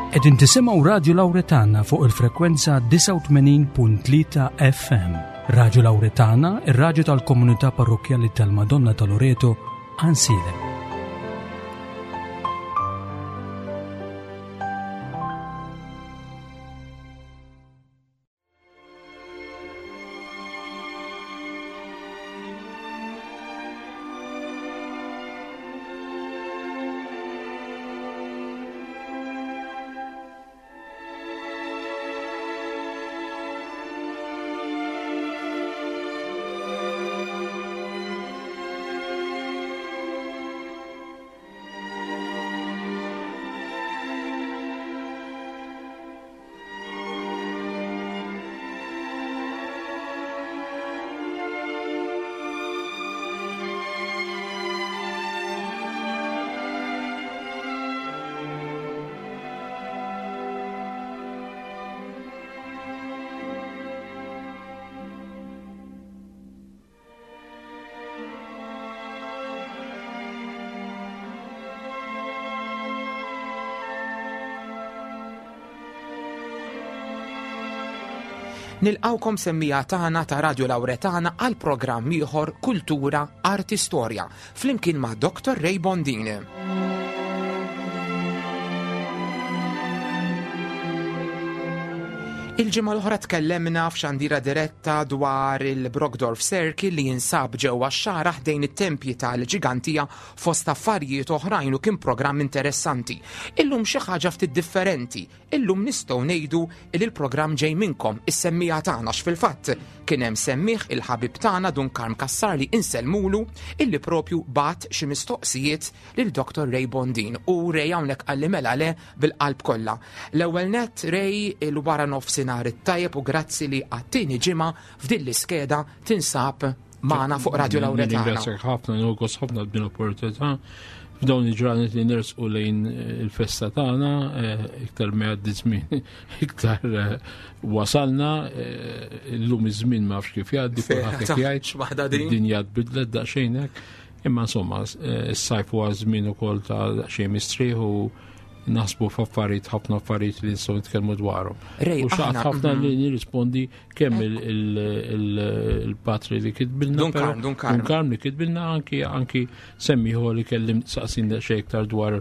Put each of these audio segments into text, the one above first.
Qegħdin tisimgħu Radju Lawretana fuq il-frekwenza 89.3 FM. Radju Lawretana, ir-radju tal-komunità parrokkjali tal-Madonna ta' Loreto, Ansilem. Nilqawkom semmija tagħna ta' Radio Lauretana għal programm ieħor Kultura Arti Storja flimkien ma' Dr. Ray Bondini. Il-ġimgħa l-oħra tkellemna f'xandira diretta dwar il-Brogdorf Circle li jinsab ġewwa x-xara ħdejn it-tempji tal-Ġigantija fost affarijiet oħrajn u kien programm interessanti. Illum xi ħaġa ftit differenti. Illum nistgħu ngħidu li l-programm ġej minnkom is-semmija tagħna fil-fatt kien hemm semmih il-ħabib tagħna Dun Karm Kassar li insellmulu illi propju bat xi mistoqsijiet lil Dr. Ray Bondin u Ray hawnhekk qalli mela le bil-qalb kollha. L-ewwel nett Ray il-wara nofsinhar it-tajjeb u grazzi li għat-tieni ġimgħa f'din l-iskeda tinsab magħna fuq Radio Lawretana. Ringrazzjak ħafna, nogos ħafna b'din l-opportunità. F'dawn il-ġranet li nersqu lejn eh, il-festa tagħna, eh, iktar ma jgħaddi żmien, iktar eh, wasalna, illum iż-żmien ma nafx kif jgħaddi, kulħadd hekk jgħid. Id-dinja tbidlet daqsxejn hekk. Imma insomma, is-sajf huwa żmien ukoll ta' daqsxejn mistrieħ u naħsbu f'affarijiet ħafna affarijiet li nistgħu nitkellmu dwarhom. U xaqt ħafna li mhm. nirrispondi kemm il-patri li kitbilna. Dun Karm li kitbilna anki anki semmiħu li kellim saqsin xejn iktar dwar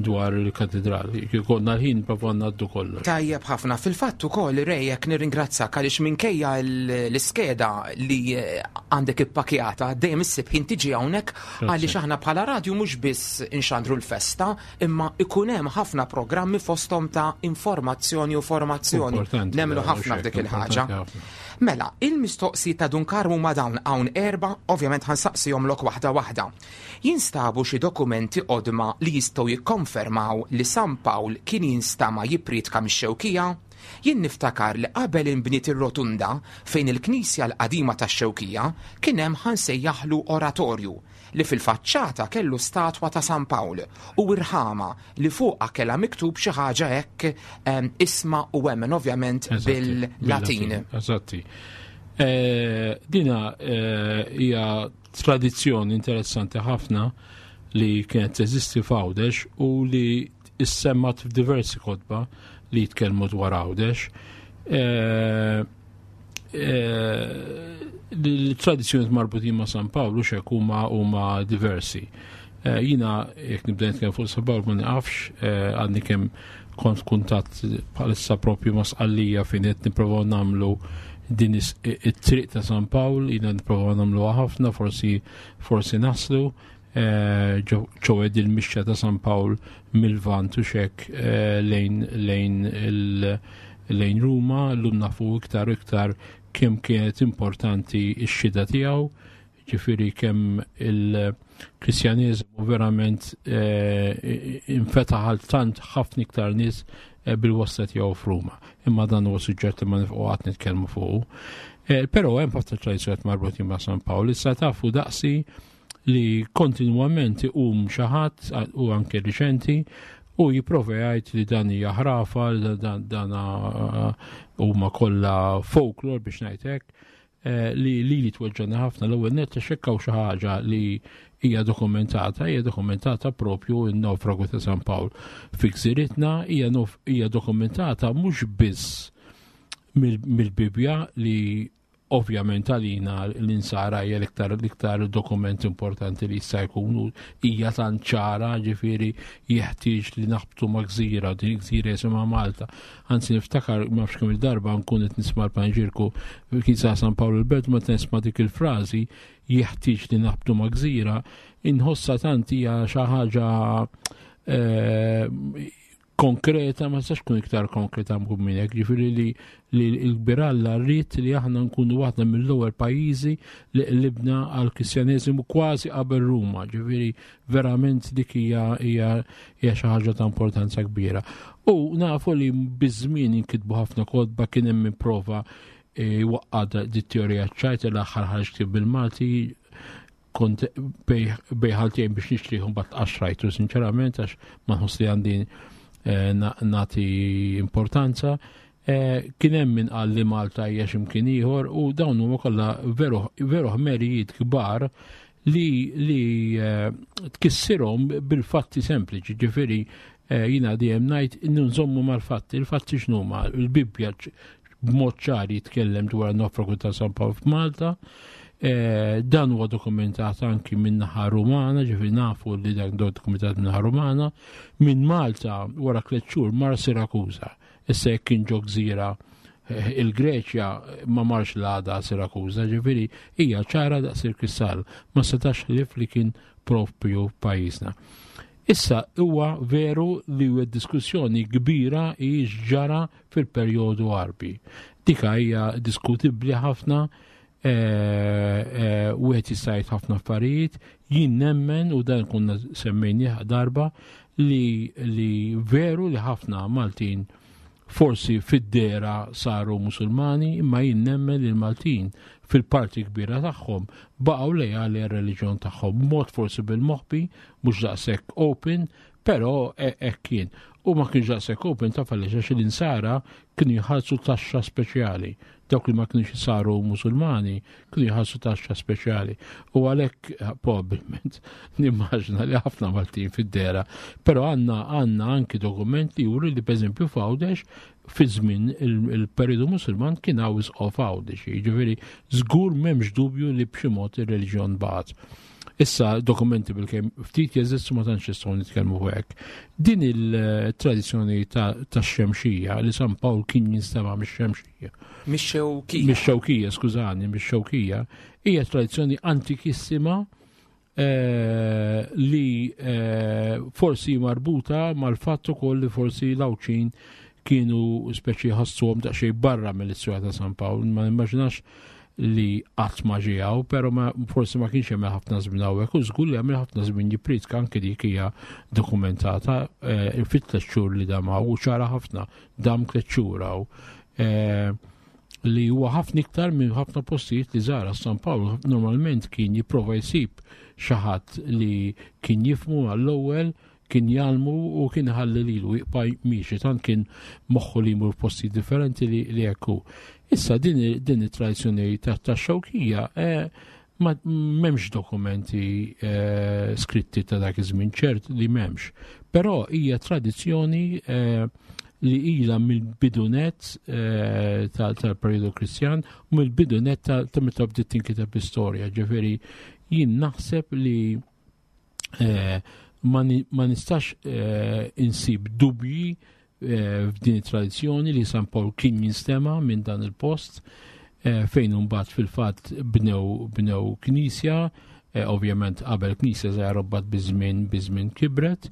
dwar il-katedral. Konna l-ħin prova ngħaddu kollox. Tajjeb ħafna. Fil-fatt ukoll rejek nirringrazzak għaliex minkejja l-iskeda li eh, għandek ippakjata dejjem issib ħin tiġi hawnhekk għaliex aħna bħala radju mhux biss inxandru l-festa, imma ikun hemm ħafna programmi fosthom ta' informazzjoni u formazzjoni. Nemmnu ħafna f'dik il-ħaġa. Mela, il-mistoqsi ta' Dun Karmu ma dawn hawn erba, ovvjament ħansaqsihomlok waħda waħda. Jinstabu xi dokumenti qodma li jistgħu jikkonfermaw li San Pawl kien jinstama' jipprietka mix-Xewkija? Jien niftakar li qabel inbniet ir-rotunda fejn il-knisja l-qadima tax-Xewkija kien hemm ħa nsejjaħlu oratorju li fil-faċċata kellu statwa ta' San Pawl u irħama li fuqha kellha miktub xi ħaġa hekk isma' u emmen ovvjament bil-Latin. Eżatti. Eh, dina eh, hija tradizzjoni interessanti ħafna li kienet teżisti f'Għawdex u li issemmat f'diversi kotba li jitkellmu dwar Għawdex. Eh, eh, l-tradizzjoni marbutin ma' San Pawlu xek huma huma diversi. Eh, jina jekk nibda nitkellem fuq San Pawlu ma niqafx, għadni kemm kont kuntatt bħalissa propju ma' Sqallija fejn qed nipprovaw nagħmlu din it-triq ta' San Pawl, jina nipprovaw nagħmluha ħafna, forsi forsi naslu eh, ċoed il-mixja ta' San Pawl mill-Vant u xek eh, lejn lejn lejn Ruma, llum nafu iktar u iktar kemm kienet importanti x-xida tiegħu Ġifieri kemm il-Kristjaneżmu verament eh, infetaħ għal tant ħafna iktar nies eh, bil-wasta tiegħu f'Ruma. Imma dan huwa suġġett li ma nifqgħu qatt nitkellmu fuqu. Eh, però hemm ħafna tradizzjonijiet marbutin ma' San Pawl. Issa tafu daqsi li kontinwament iqum xi ħadd u anke riċenti u jipprova jgħid li dan hija ħrafa, dan huma kollha folklor biex ngħid hekk. Eh, li li li tweġġana ħafna l-ewwel nett għax hekk hawn xi ħaġa li hija dokumentata, hija dokumentata propju n-naufragu ta' San Pawl fi gżiritna, hija dokumentata mhux biss mill-Bibbja li ovvjament għalina l-insara hija l-iktar l-iktar dokument importanti li jista' jkun u hija tant ċara ġifieri jeħtieġ li naħbtu ma' gżira, din gżira jisimha Malta. Anzi niftakar ma nafx kemm il-darba nkun qed nisma' l-panġirku kien sa San Pawl il-Belt meta nisma' dik il-frażi jeħtieġ li naħbtu ma' gżira, inħossha tant hija xi ħaġa eh, konkreta, ma tistax tkun iktar konkreta minn hekk, ġifieri li li l-kbir Alla rrid li aħna nkunu waħda mill-ewwel pajjiżi li qlibna għal Kristjaneżimu kważi qabel Ruma, ġifieri verament dik hija hija hija xi ħaġa ta' importanza kbira. U nafu li biż-żmien inkitbu ħafna kotba kien hemm prova e, waqqa di teorija ċajt l-aħħar ħarġ ktieb bil-Malti kont bejħaltejn biex nixtrih mbagħad qaxrajtu sinċerament għax ma nħoss li għandi eh, nagħti importanza. Eh, kien hemm min qal li Malta hija x'imkien ieħor u dawn huma kollha veru ħmerijiet kbar li li eh, tkissirhom bil-fatti sempliċi, ġifieri jiena dejjem ngħid nżommu mal-fatti, il-fatti x'numa, il-Bibbja b'mod ċar jitkellem dwar nofragu ta' San Pawl f'Malta. Eh, dan huwa dokumentat anki minn naħa Rumana, ġifi nafu li dan dokumentat minn naħa Rumana, minn Malta wara tliet xhur mar Sirakuża. Issa jekk kien ġo gżira eh, il-Greċja ma marx l-għada Sirakuża, ġifieri hija ċara daqs il-kristall, ma setax ħlief li kien propju pajjiżna. Issa huwa veru li huwa diskussjoni kbira hi ġara fil-perjodu Għarbi. Dika hija diskutibbli ħafna, eh, eh, wieħed jista' jgħid ħafna affarijiet, jien nemmen u dan konna semmejnih darba li, li veru li ħafna Maltin forsi fid-dera saru Musulmani, imma jien nemmen li l-Maltin fil-parti kbira tagħhom baqgħu lejali għar-reliġjon tagħhom, mod forsi bil-moħbi, mhux daqshekk open, Però hekk kien. U ma kienx daqshekk open taf għaliex għax l-insara kienu jħallsu taxxa speċjali. Dawk li ma kienux saru Musulmani kienu jħallsu taxxa speċjali. U għalhekk eh, probabbilment nimmaġna li ħafna Maltin fid-dera. Però għandna għandna anki dokument li juri li pereżempju f'Għawdex fi żmien il-periodu Musulman kien hawn isqof Għawdex. Jiġifieri żgur m'hemmx dubju li b'xi mod ir-reliġjon baqgħet. Issa dokumenti bil-kemm ftit jeżistu ma tantx nistgħu nitkellmu fuq hekk. Din il-tradizzjoni tax-xemxija li San Pawl kien jinstema' mix-xemxija. Mix-xewkija. Mix-xewkija, skużani, mix-xewkija, hija tradizzjoni antikissima eh, li eh, forsi marbuta mal-fatt ukoll li forsi l-Għawdxin kienu speċi ħassuhom daqsxejn barra mill-istorja ta' San Pawl, ma nimmaġinax li qatt ma ġie hawn, però ma, forsi ma kienx jagħmel ħafna żmien hawnhekk u żgur li għamel ħafna żmien jippriedka anke dik hija dokumentata eh, fit tliet xhur li dam hawn u ċara ħafna dam tliet xhur hawn. Eh, li huwa ħafna iktar minn ħafna postijiet li żara San Pawl normalment kien jipprova jsib xi ħadd li kien jifmu għall-ewwel kien jgħallmu u kien iħalli lilu jibqa' miexi tant kien moħħu li jmur f'postijiet differenti li li hekk hu. Issa din din it-tradizzjoni tax-xewkija eh, ma m'hemmx dokumenti eh, skritti ta' dak iż-żmien ċert li m'hemmx. Però hija tradizzjoni eh, li ilha mill-bidunet tal-periodu Kristjan u mill-bidunet ta' meta bdiet tinkiteb l-istorja. Ġifieri jien naħseb li Eh, ma nistax eh, insib dubji eh, f'din it-tradizzjoni li San Pawl kien jinstema minn dan il-post fejn imbagħad fil-fatt bnew bnew knisja, ovvjament qabel knisja żgħira mbagħad biż-żmien biż-żmien kibret.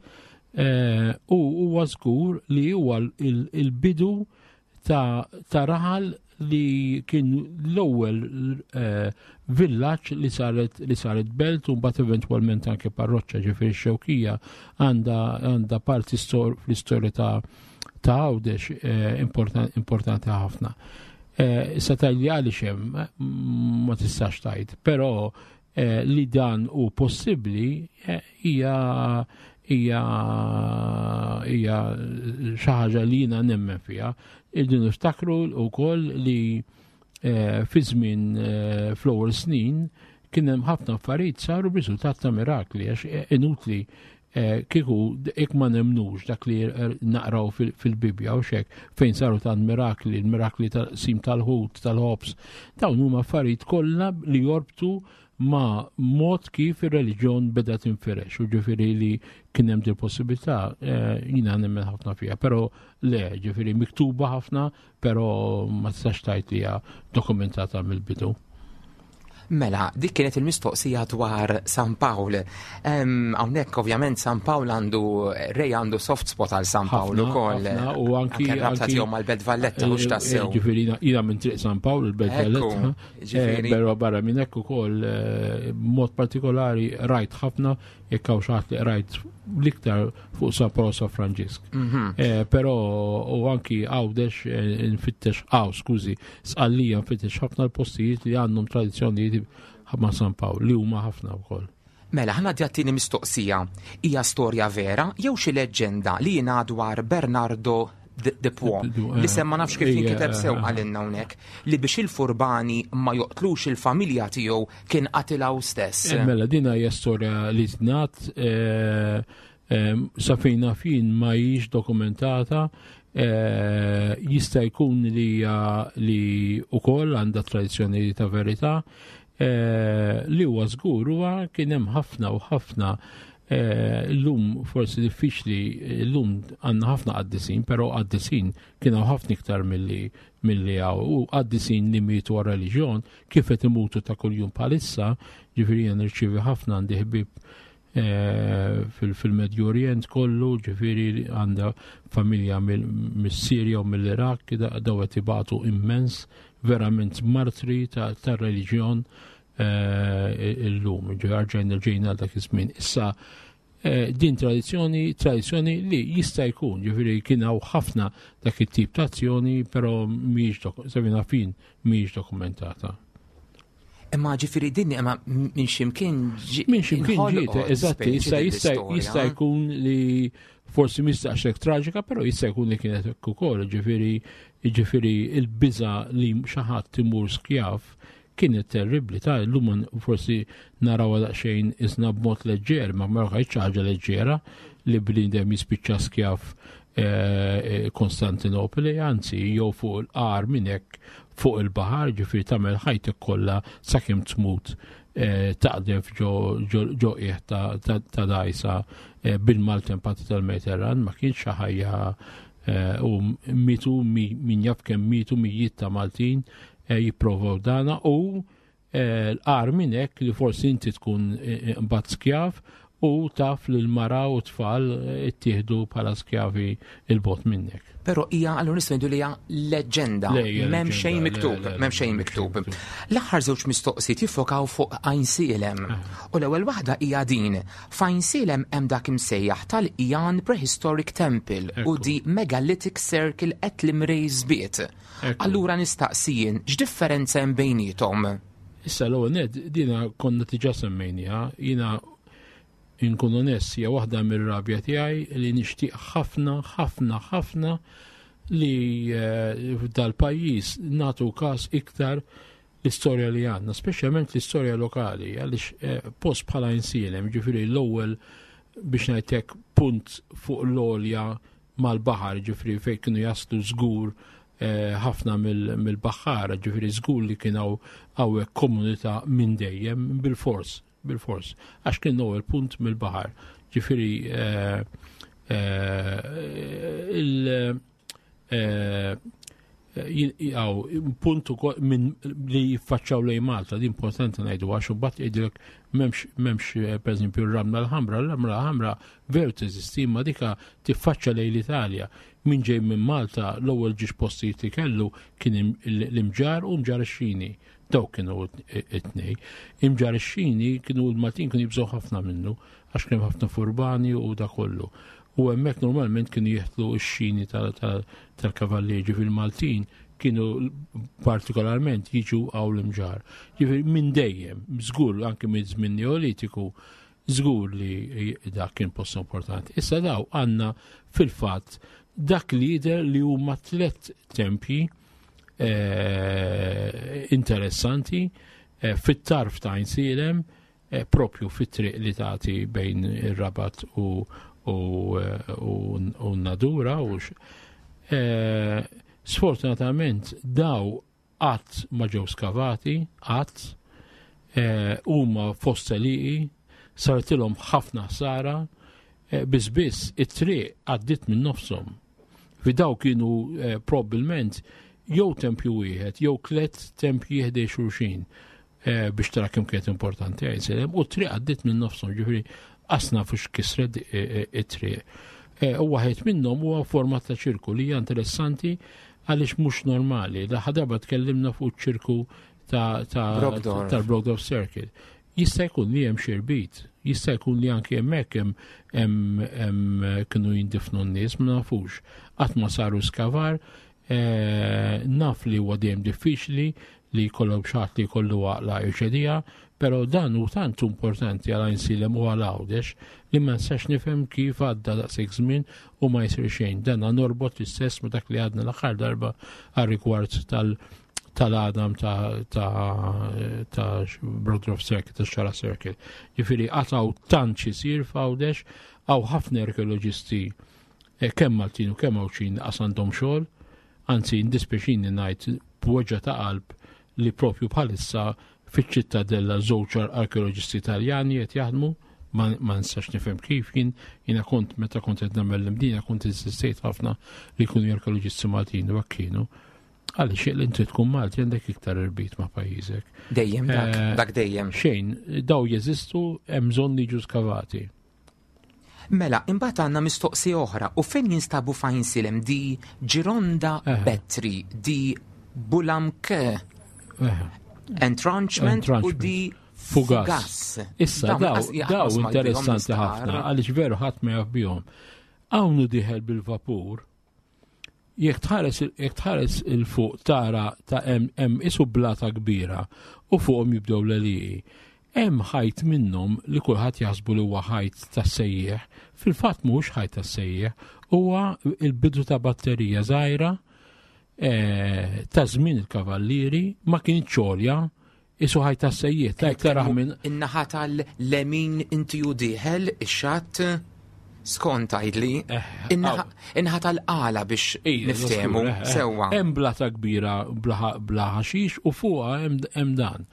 U huwa żgur li huwa il-bidu ta' raħal li kien l-ewwel eh, villaġġ li saret li saret belt u mbagħad eventwalment anke parroċċa ġifieri x-Xewkija għandha għandha parti fl-istorja ta' ta' Għawdex eh, importanti ħafna. Eh, issa tgħidli għaliex hemm ma tistax tgħid, però Eh, li dan hu possibbli eh, hija hija hija xi ħaġa li jiena nemmen fiha. Irridu niftakru wkoll li eh, fi żmien fl-ewwel snin Kien hemm ħafna affarijiet saru b'riżultat ta' mirakli għax eh, inutli eh, kieku jekk ma nemnux dak li naqraw fil-Bibbja u xek fejn saru tant mirakli, il-mirakli tal-sim tal-ħut, tal-ħobs, dawn huma affarijiet kollha li jorbtu ma' mod kif ir-reliġjon beda tinfirex u ġifieri li kien hemm din possibilità eh, jiena nemmen ħafna fiha, però le, ġifieri miktuba ħafna, però ma tistax tgħid li hija dokumentata mill-bidu. Mela, dik kienet il-mistoqsija dwar San Pawl. Hawnhekk ovvjament San Pawl għandu Rej għandu soft spot għal San Pawl ukoll. U anki rabta tiegħu mal-Belt Valletta mhux eh, tassew. Eh, ġifieri jiena minn Triq San Pawl il-Belt Valletta. Eh, però barra minn hekk ukoll mod partikolari rajt ħafna jekk hawn xi ħadd li rajt l-iktar fuq San Paolo San Franġisk. Mhm. Eh, però u anki għawdex eh, nfittex għaw, skużi, sqallija nfittex ħafna l-postijiet li għandhom tradizzjonijiet ma' San Pawl li huma ħafna wkoll. Mela, ħana djattini mistoqsija. Hija storja vera jew xi leġġenda li jingħad dwar Bernardo de Puo, li semma nafx kif jinkiteb sew għalinna hawnhekk, li biex il-furbani ma joqtlux il-familja tiegħu kien qatilha hu stess. Eh, mela, din hija storja li tnat eh, eh, sa fejn naf jien ma hijiex dokumentata jista' jkun li li ukoll għandha tradizzjoni ta' verità li huwa żgur huwa kien hemm ħafna u ħafna llum forsi diffiċli llum għandna ħafna qaddisin, però qaddisin kien hawn ħafna iktar milli milli hawn u qaddisin li mietu għar reliġjon kif qed imutu ta' kuljum bħalissa, ġifieri jien nirċievi ħafna għandi ħbieb eh, fil-Medju Orient kollu, ġifieri għandha familja mis-Sirja u mill-Iraq, daw qed ibatu immens, verament martri tar-reliġjon eh, illum, ġarġajna ġejna dak iż-żmien. Issa eh, din tradizzjoni, tradizzjoni li jista' jkun, ġifieri kien hawn ħafna dak it-tip ta' azzjoni, però mhijiex sabina fin mhijiex dokumentata. Imma ġifieri din imma minn ximkien Minn ximkien ġiet, eżatti, issa jista' jkun li forsi mhix daqshekk traġika, però jista' jkun li kienet hekk ukoll, ġifieri ġifieri il-biża li xi ħadd imur skjav kienet terribbli ta' illum forsi narawha daqsxejn isna b'mod leġġer, ma ma xi ħaġa leġġera li bniedem jispiċċa skjav eh, eh, Konstantinopoli, anzi jew fuq il-qar minn hekk fuq il-baħar, ġifieri tagħmel ħajtek kollha sakemm tmut eh, taqdef ġo qiegħ ta' dajsa bil-maltempati tal-Mediterran, ma kienx xi ħajja u mitu min jaf kemm mitu mijiet ta' Maltin Eh, jipprovaw dana u eh, l-qar minn hekk li forsi inti tkun eh, mbagħad skjav u taf li l-mara u tfal ittieħdu bħala skjavi il-bot minnek. Pero hija allura nistgħu ngħidu li hija leġġenda, m'hemm xejn miktub, m'hemm xejn miktub. L-aħħar żewġ mistoqsijiet jiffokaw fuq Għajnsielem. Ah. U l-ewwel waħda hija din. F'Għajnsielem hemm dak imsejjaħ tal-Ijan Prehistoric Temple u di Megalithic Circle at Limrej Żbiet. Allura nistaqsi jien, x'differenza hemm bejniethom? Issa l-ewwel nett dina konna diġà semmejniha, jiena inkun onest hija waħda mir-rabja tiegħi li nixtieq ħafna ħafna ħafna li eh, f'dal-pajjiż nagħtu każ iktar l-istorja li għandna, speċjalment l-istorja lokali, għaliex eh, post bħala insielem, ġifieri l-ewwel biex ngħidlek punt fuq l-olja mal-baħar, ġifieri fejn kienu jaslu żgur eh, ħafna mill-baħħara, ġifieri żgur li kien hawn komunità minn dejjem bil-fors, bil-fors, għax kien l-ewwel punt mill-baħar. Ġifieri eh, il- għaw, punt ukoll minn li jiffaċċaw lejn Malta, di importanti ngħidu għax imbagħad jgħidilek m'hemmx m'hemmx eh, pereżempju r-ramla l-ħamra, l-ramla l-ħamra veru teżisti imma dika tiffaċċa lejn l-Italja. Min ġej minn Malta l-ewwel ġiex postijiet li kellu kien l-imġar u mġar ix-xini. Dawk kienu it-tnej. Imġar ix-xini kienu l-Maltin kienu jibżgħu ħafna minnu għax kien ħafna furbani u da kollu. U hemmhekk normalment kienu jeħtlu x-xini tal-kavallieri, ġifieri Maltin kienu partikolarment jiġu għaw l-imġar. Ġifieri minn dejjem, żgur anke minn żmien Neolitiku, żgur li dak kien post importanti. Issa daw għandna fil-fatt dak li jidher li huma tliet tempji eh, interessanti. Fit-tarf ta' Għajnsielem, propju fit-triq li tagħti bejn ir-Rabat u u n-Nadura u sfortunatament daw qatt ma ġew skavati, qatt huma fost għelieqi, sartilhom ħafna ħsara, biss biss it-triq għaddiet minn nofshom. Fi daw kienu probbilment jew tempju wieħed jew tlet tempji ħdej xulxin biex tara kemm kienet importanti Għajnsielem, u t-triq għaddiet minn nofshom, ġifieri qasna fux kisret it-triq. U waħed minnhom huwa forma ta' ċirku li hija interessanti għaliex mhux normali. L-aħħar darba tkellimna fuq ċirku tal-Brogdorf Circle. Jista' jkun li hemm xi rbit, jista' jkun li anki hemmhekk hemm kienu jindifnu n-nies, ma nafux. Qatt ma saru skavar, naf li huwa dejjem diffiċli li jkollhom xi ħadd li jkollu għaqla irċedija, però dan hu tant importanti għal Għajnsielem u għal Għawdex li ma nistax nifhem kif għadda daqshekk żmien u ma jsir xejn. Dan norbot l-istess ma dak li għadna l-aħħar darba għal rigward tal- tal-għadam ta' ta' ta' Brogdorf Circle, ta' Xara Circle. Ġifieri għataw tant xisir f'Għawdex, għaw ħafna arkeoloġisti kemm Maltin u kemm Għawdxin qas għandhom xogħol, anzi indispjaċini ngħid b'weġgħa ta' qalb li propju bħalissa fiċ-ċittadella żewġ arkeoloġisti Italjani qed jaħdmu, ma nistax nifhem kif jien jiena kont meta kont qed nagħmel l-imdina kont insistejt ħafna li jkunu arkeoloġisti Maltin u hekk kienu. Għaliex li inti tkun Malti għandek iktar irbit ma' pajjiżek. Dejjem dak, dak dejjem. Xejn, daw jeżistu hemm bżonn li jiġu skavati. Mela, imbagħad għandna mistoqsija oħra, u fejn jinstabu f'Għajnsielem di Gironda Betri, di Bulamke Entrenchment u di Fugas. Issa daw interessanti ħafna għaliex veru ħadd ma jaf bihom. Hawn diħel bil-vapur Jekk tħares jekk tħares il fuq tara ta' hemm hemm isu blata kbira u fuqhom jibdew l-għelieqi. Hemm ħajt minnhom li kulħadd jaħsbu li huwa ħajt tas-sejjieħ, fil-fatt mhuwiex ħajt tas-sejjieħ, huwa l-bidu ta' batterija żgħira eh, ta' żmien il-kavallieri ma kienx għolja Isu ħaj ta' sejjiet, ta' iktar minn. In-naħa tal-lemin inti u diħel, ix-xatt, skont għajdli, eh, in-naħa tal-qala biex niftehmu eh, eh. sewwa. Hemm blata kbira bla ħaxix u fuqha hemm dan.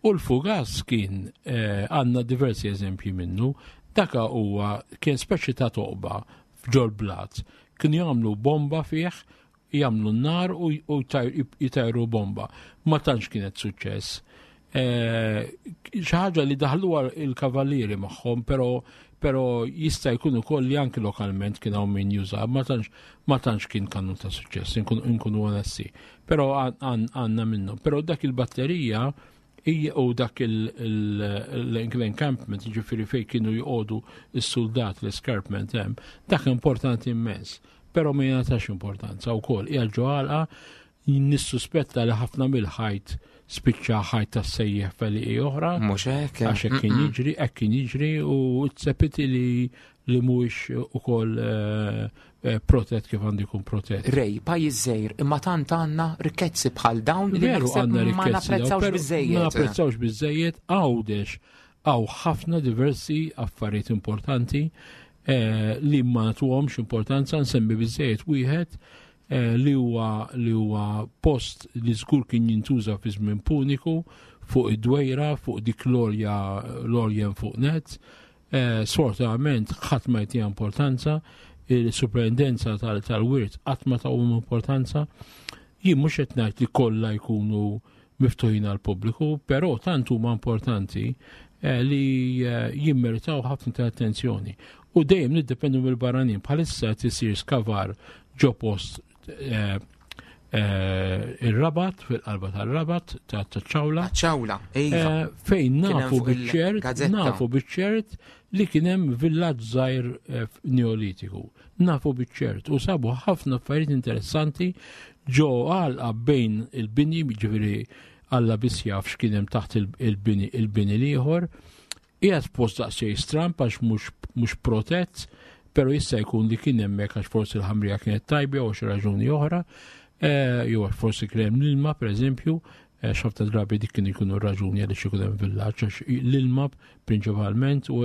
U l-fugas kien għandna diversi eżempji minnu, daka huwa kien speċi ta' toqba f'ġol blat, kienu jagħmlu bomba fih jagħmlu n-nar u jtajru bomba. Ma tantx kienet suċċess. Eh, xi ħaġa li daħluha il-kavallieri magħhom, però però jista' jkun ukoll li anki lokalment kien hawn min juża, ma tantx ma tantx kien kanun ta' suċċess, inkunu onesti. Però għandna minnu. Però dak il-batterija hija u dak l-encampment, ġifieri fejn kienu joqogħdu s-soldat l-escarpment hemm, dak importanti immens. Però ma jingħatax importanza wkoll hija ġo għalqa nissuspetta li ħafna mill-ħajt spiċċa ħajt tas-sejjeħ feliqi oħra. Mhux hekk. Għax hekk kien jiġri, hekk kien jiġri u t-sepiti li li mhuwiex ukoll eh, eh, protett kif għandu jkun protett. Rej, pajjiż żgħir, imma tant għandna rikkezzi bħal dawn li Veru għandna ma napprezzawx biżejjed. Ma napprezzawx biżejjed għawdex għaw ħafna diversi affarijiet importanti eh, li ma nagħtuhomx importanza nsemmi biżejjed wieħed li huwa li huwa post li żgur kien jintuża fi żmien puniku fuq id-dwejra fuq dik l-olja l-olja fuq net Eh, sfortunatament ħadd ma jtiha importanza, il-superintendenza tal-wirt qatt ma tawhom importanza. Jien mhux qed ngħid li kollha jkunu miftuħin għal pubbliku, però tant huma importanti eh, li eh, jimmeritaw ħafna ta' attenzjoni. U dejjem niddependu mill-barranin bħalissa tisir skavar ġo post ir-Rabat, fil-qalba tal-Rabat, ta' ċawla. ċawla, iva. Eh, fejn nafu biċ-ċert, nafu biċ-ċert li kien hemm villaġġ żgħir eh, neolitiku. Nafu biċ-ċert u sabu ħafna affarijiet interessanti ġo għalqa bejn il-bini, ġifieri Alla biss jaf x'kien hemm taħt il-bini il-bini l-ieħor. Qiegħed f'post daqsxejn stramb għax mhux protett, però jista' jkun li kien hemmhekk għax forsi l-ħamrija kienet tajba jew xi raġuni oħra, eh, jew għax forsi kien hemm l-ilma pereżempju. Xafta drabi dik kien ikunu raġuni għaliex ikun hemm villaġġ għax l-ilma prinċipalment u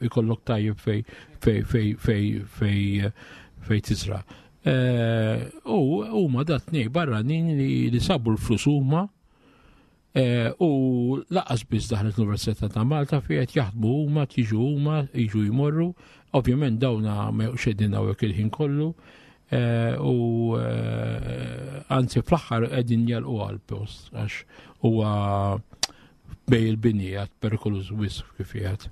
ikollok tajjeb fej fej fej fej fej fej tiżra. Eh, u huma dat tnej barranin li sabu l-flus huma eh, u laqas biss daħlet l-Università ta' Malta fi qed jaħdmu huma, tiġu huma, jiġu jmorru. Ovvjament dawna ma xedin hawnhekk il-ħin kollu. Eh, u anzi fl-aħħar qegħdin jalqu għal-post għax huwa bej il-bini għad perikoluż wisq kif jgħid.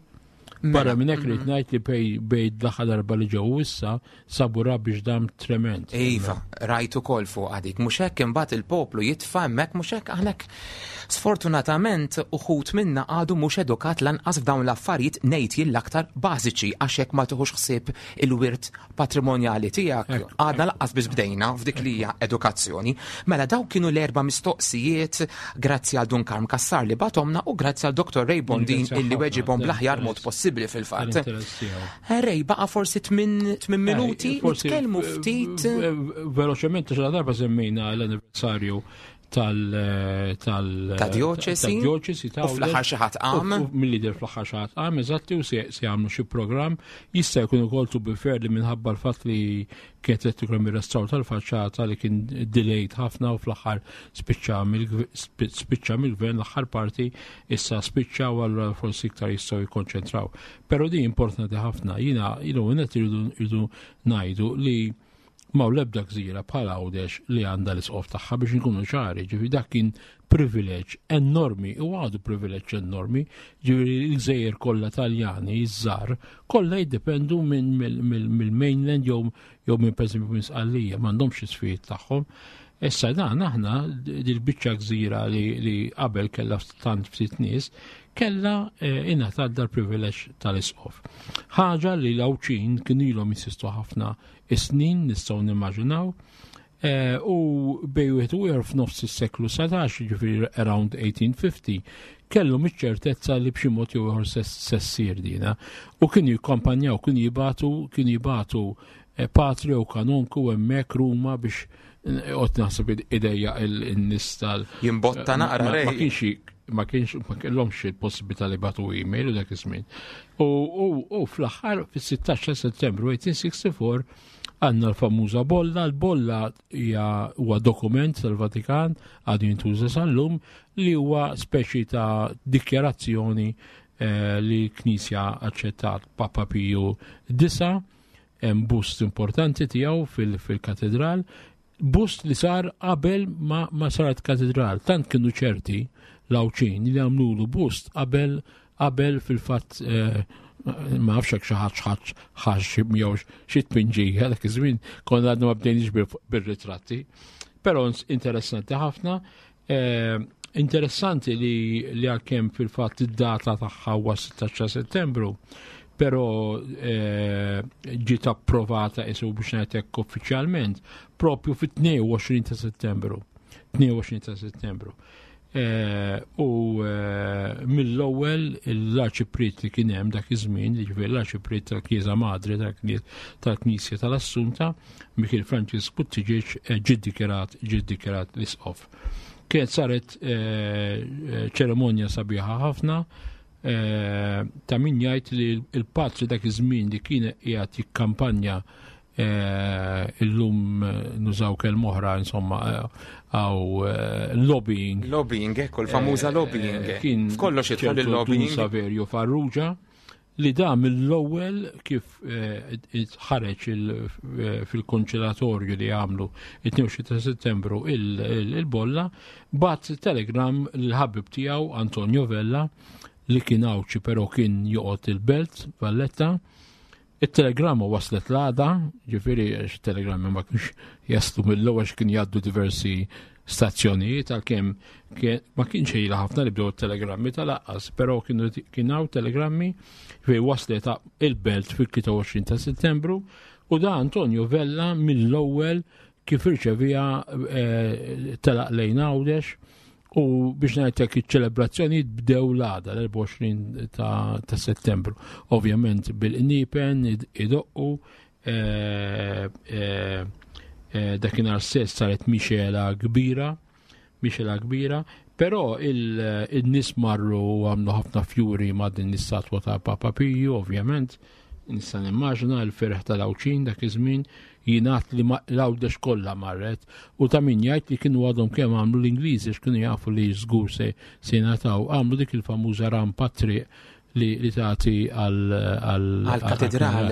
Mela, Barra minn hekk rrid ngħid li bej bej l-aħħar darba li ġew issa sabu biex dam trement. Iva, rajt ukoll fuq għadik. Mhux hekk imbagħad il-poplu jitfa' hemmhekk mhux hekk aħna sfortunatament uħud minna għadu mhux edukat lanqas f'dawn l-affarijiet ngħid jien l-aktar bażiċi għax hekk ma tieħux ħsieb il-wirt patrimonjali tiegħek għadna laqqas biss bdejna f'dik li hija edukazzjoni. Mela dawk kienu l-erba' mistoqsijiet grazzi għal Dun Karm Kassar li batomna u grazzi għal Dr. Ray Bondin illi weġibhom bl-aħjar mod possibbli fil-fatt. Eh, Ray, baqa' forsi 8 eh, minuti, nitkellmu ftit. Veloċement xi darba semmejna l-anniversarju tal tal ta' dioċesi dioċesi ta' u fl-aħħar xi ħadd qam mill-lider fl-aħħar xi ħadd qam eżatti u se jagħmlu xi programm jista' jkun ukoll to be fair li minħabba l-fatt li kienet qed ikun ir-restawr tal-faċċata li kien delayed ħafna u fl-aħħar spiċċa spiċċa mill-gvern l-aħħar parti issa spiċċa u allura forsi iktar jistgħu jikkonċentraw. Però din importanti ħafna jiena jiena irridu ngħidu li M'hawn l-ebda gżira bħal Għawdex li għandha l-isqof tagħha biex inkunu ċari, ġifieri dak kien privileġġ enormi u għadu privileġġ enormi, ġifieri l-gżejjer kollha Taljani, iż-żgħar, kollha jiddependu mill-mainland jew jew minn pereżempju minn Sqallija, m'għandhomx isfijiet tagħhom. Issa dan aħna dil-biċċa gżira li qabel kellha tant ftit nies, kellha eh, ingħatat dal-privileġġ tal-isqof. Ħaġa li l-Għawdxin kienu ilhom jinsistu ħafna is-snin nistgħu nimmaġinaw. Eh, u bej wieħed u ieħor f'nofs is-seklu 19, ġifieri around 1850, kellhom iċ-ċertezza li b'xi mod jew ieħor se ssir dina. U kienu jikkampanjaw, kienu jibatu, kienu jibatu eh, patri u kanonku hemmhekk Ruma biex eh, qed naħseb idejja il-nies tal. Jimbotta naqra Ma kienx ma kienx ma kellhomx il-possibilità li batu email u dak iż-żmien. U fl-aħħar fis-16 ta' Settembru 1864 għandna l-famuża bolla, l-bolla hija huwa dokument tal-Vatikan għadu jintuża sal-lum li huwa speċi ta' dikjarazzjoni eh, li l-Knisja aċċettat Papa Piju disa' hemm bust importanti tiegħu fil-katedral Bust li sar qabel ma, ma saret katedral, tant kienu ċerti l-Għawdxin li għamlulu bust qabel qabel fil-fatt eh, ma nafx hekk xi ħadd ħadd ħax jew xi tpinġija dak iż-żmien konna għadna ma bdejniex bir-ritratti. Però interessanti ħafna. Eh, interessanti li li għalkemm fil-fatt id-data tagħha huwa 16 Settembru, però eh, ġiet approvata isu biex ngħidlek uffiċjalment propju fit-22 ta' Settembru. 22 ta' Settembru. Eh, u eh, mill-ewwel l-arċipriet li kien hemm dak iż-żmien, jiġifieri l-arċipriet tal-Knisja Madre tal-Knisja tal-Assunta, Mikiel Francis Buttigieg eh, ġie ddikjarat ġie ddikjarat l-isqof. Kienet saret ċeremonja sabiħa ħafna ta' min jgħid li l-patri dak iż-żmien li kien qiegħed jikkampanja Eh, illum eh, nużaw kelma oħra insomma eh, għaw lobbying. Lobbying, ekku, l-famuża lobbying. Kien f'kollox jidħol il-lobbying. Saverio Farrugia li da mill-ewwel kif ħareġ fil-konċilatorju li għamlu it-22 ta' Settembru il-bolla, bat telegram l-ħabib tiegħu Antonio Vella li kien Għawdxi però kien joqgħod il-Belt Valletta It-telegramma waslet l-għada, ġifieri għax it-telegrammi ma kienx jaslu mill-ewwel għax kien jgħaddu diversi stazzjonijiet għalkemm ma kienx ejla ħafna li bdew it-telegrammi tal-aqqas, però kienu kien hawn telegrammi fejn waslet il-belt fil-23 ta' Settembru u da Antonio Vella mill-ewwel kif irċevija eh, telaq lejn Għawdex U biex ngħidlek iċ-ċelebrazzjonijiet bdew l-għada l-24 ta', ta Settembru. Ovvjament bil-qniepen idoqqu eh, eh, eh, dakinhar stess saret mixela kbira, mixela kbira, Però il-nies marru u għamlu ħafna fjuri ma' din l-istatwa ta' Papa Piju, ovvjament, nista' nimmaġina l-ferħ tal-Għawdxin dak iż-żmien jingħad li l-Għawdex kollha marret u ta' min jgħid li kienu għadhom kemm għamlu l-Ingliżi għax kienu jafu li żgur se jingħataw għamlu dik il-famuża rampa triq li, li tagħti għal-katedral.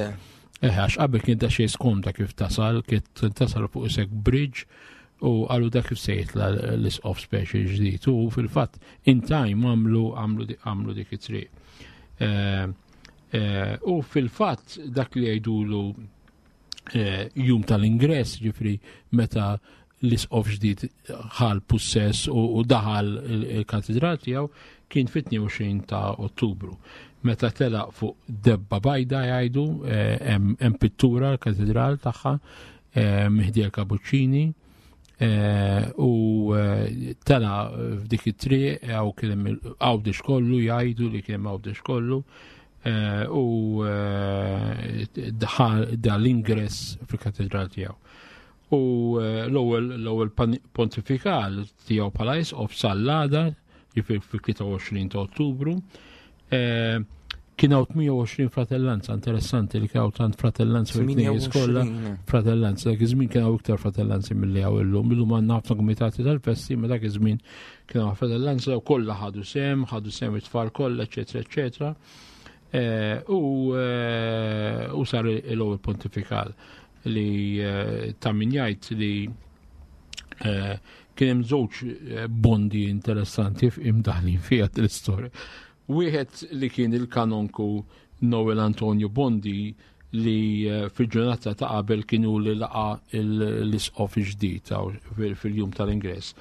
Eh, għax qabel kien ta' xejn skomda kif tasal, kien tasal fuq isek bridge u għalu dak kif se jitla l-isqof speċi ġdid u fil-fatt in time għamlu għamlu dik it-triq. Eh, eh, u fil-fatt dak li jgħidulu eh, jum tal-ingress, ġifri meta l-isqof ġdid ħal pussess u daħal il-katedral tiegħu kien fit-22 ta' Ottubru. Meta telaq fuq debba bajda jgħidu hemm pittura l-katedral tagħha eh, Mihdi Kabuċċini eh, u eh, tela f'dik it-triq għaw kien hemm Għawdex kollu jgħidu li kien hemm Għawdex kollu u daħal dal-ingress fil-katedral tiegħu. U l-ewwel l-ewwel pontifikal tiegħu bħala isqof sal-għada, ġifier fil-23 ta' Ottubru, Kien hawn 28 fratellanza, interessanti li kien hawn tant fratellanza fil-knejjes kollha. Fratellanza, dak iż-żmien kien hawn iktar fratellanzi milli hawn illum. Illum għandna ħafna kumitati tal-festi, ma dak iż-żmien kien hawn fratellanza u kollha ħadu sem, ħadu sem it-tfal kollha, eċetera, eċetera. Eh, u eh, u sar l-ewwel pontifikal li eh, ta' min jgħid li kien hemm żewġ bondi interessanti imdaħlin fiha l-istorja. Wieħed li kien il-kanonku Noel Antonio Bondi li eh, fil-ġurnata ta' qabel kienu li laqa l-isqof ġdid fil-jum tal-ingress.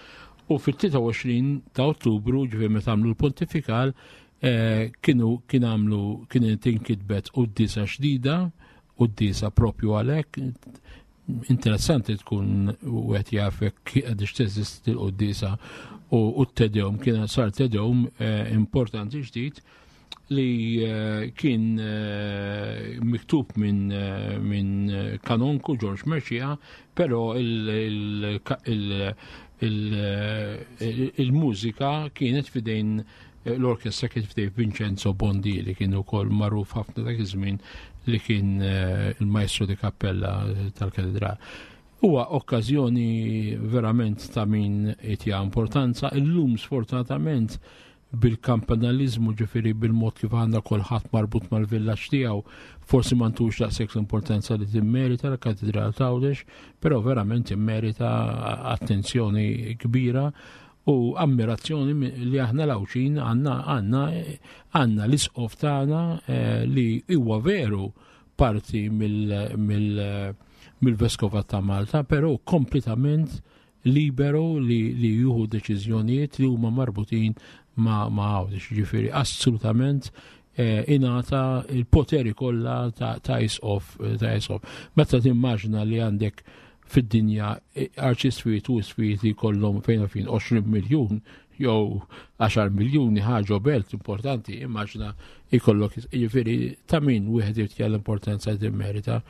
U fil-23 ta' Ottubru, ġifieri meta għamlu l-pontifikal, eh, kienu kien għamlu kien tinkitbet qudiesa ġdida, qudiesa propju għalhekk, interessanti tkun u għet jaf jekk għadix teżisti l-qoddisa u t-tedewm, kien sar tedewm eh, importanti ġdid li eh, kien eh, miktub minn min kanonku George Mercia, pero il-mużika kienet fidejn L-orkestra kien f'dej Vincenzo Bondi li kien ukoll magħruf ħafna dak iż-żmien li kien eh, il-maestro di cappella tal-katedral. Huwa okkażjoni verament ta' min itja importanza. Illum sfortunatament bil-kampanalizmu ġifiri bil-mod kif għandna kulħadd marbut mal-villaġġ tiegħu, forsi ma ntux daqshekk l-importanza li timmerita l-Katedral t'Għawdex, però verament immerita attenzjoni kbira u ammirazzjoni li aħna l-Għawdxin għandna għandna għandna l-isqof tagħna eh, li huwa veru parti mill-Veskovat ta' Malta, però kompletament liberu li, li juhu deċiżjonijiet li huma marbutin ma' ma' Għawdex, ġifieri assolutament eh, ingħata il-poteri kollha ta', ta' isqof ta' isqof. Meta timmaġna li għandek fid-dinja arċiswiet u iswiet li jkollhom fejn fin 20 miljun jew 10 miljuni ħaġa belt importanti, immaġna jkollok jiġifieri ta' min wieħed irid l-importanza li timmerita.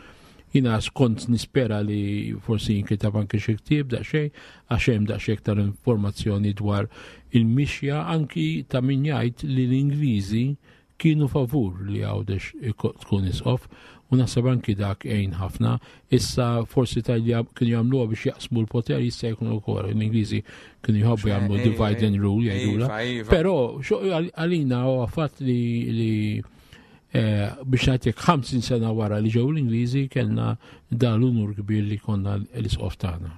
Jina skont nispera li forsi jinkitab anke xi ktieb daqsxejn għax hemm daqsxejn iktar informazzjoni dwar il-mixja anki ta' min jgħid li l-Ingliżi kienu favur li Għawdex tkun isqof u naħseb anki dak għin ħafna. Issa forsi tajli kienu jagħmluha biex jaqsmu l-poter jista' jkun ukoll. L-Ingliżi kienu jħobbu jagħmlu divide and rule jgħidula. Iva, iva. Però għalina huwa fatt li li eh, biex ngħidlek 50 sena wara li ġew l-Ingliżi kellna dan l-unur kbir li konna l-isqof tagħna.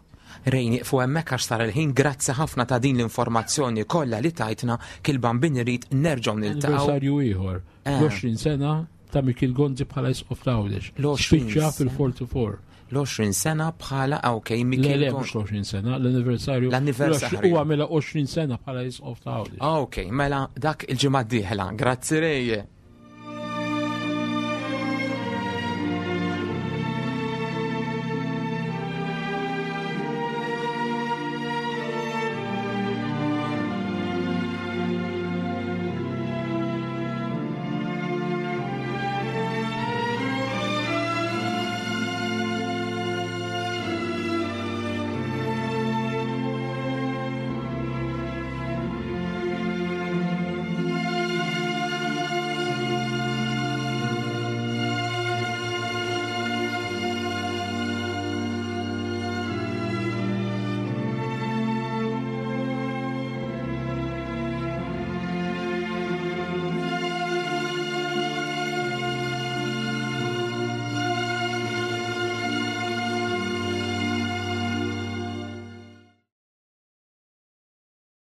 Ray nieqfu hemmhekk għax sar il-ħin grazzi ħafna ta' din l-informazzjoni kollha li tajtna kil bambin irid nerġgħu niltaqgħu. Anniversarju ieħor. Eh. L-20 sena ta' Mikil Gonzi bħala isqof ta' Għawdex. Spiċċa fil-44. L-20 sena bħala ah, ok, Mikil. Le, le, mhux l-20 sena, l-anniversarju. L-anniversarju. Huwa mela 20 sena bħala isqof ta' Għawdex. Ah, ok, mela dak il-ġimgħa d-dieħla. Grazzi Ray.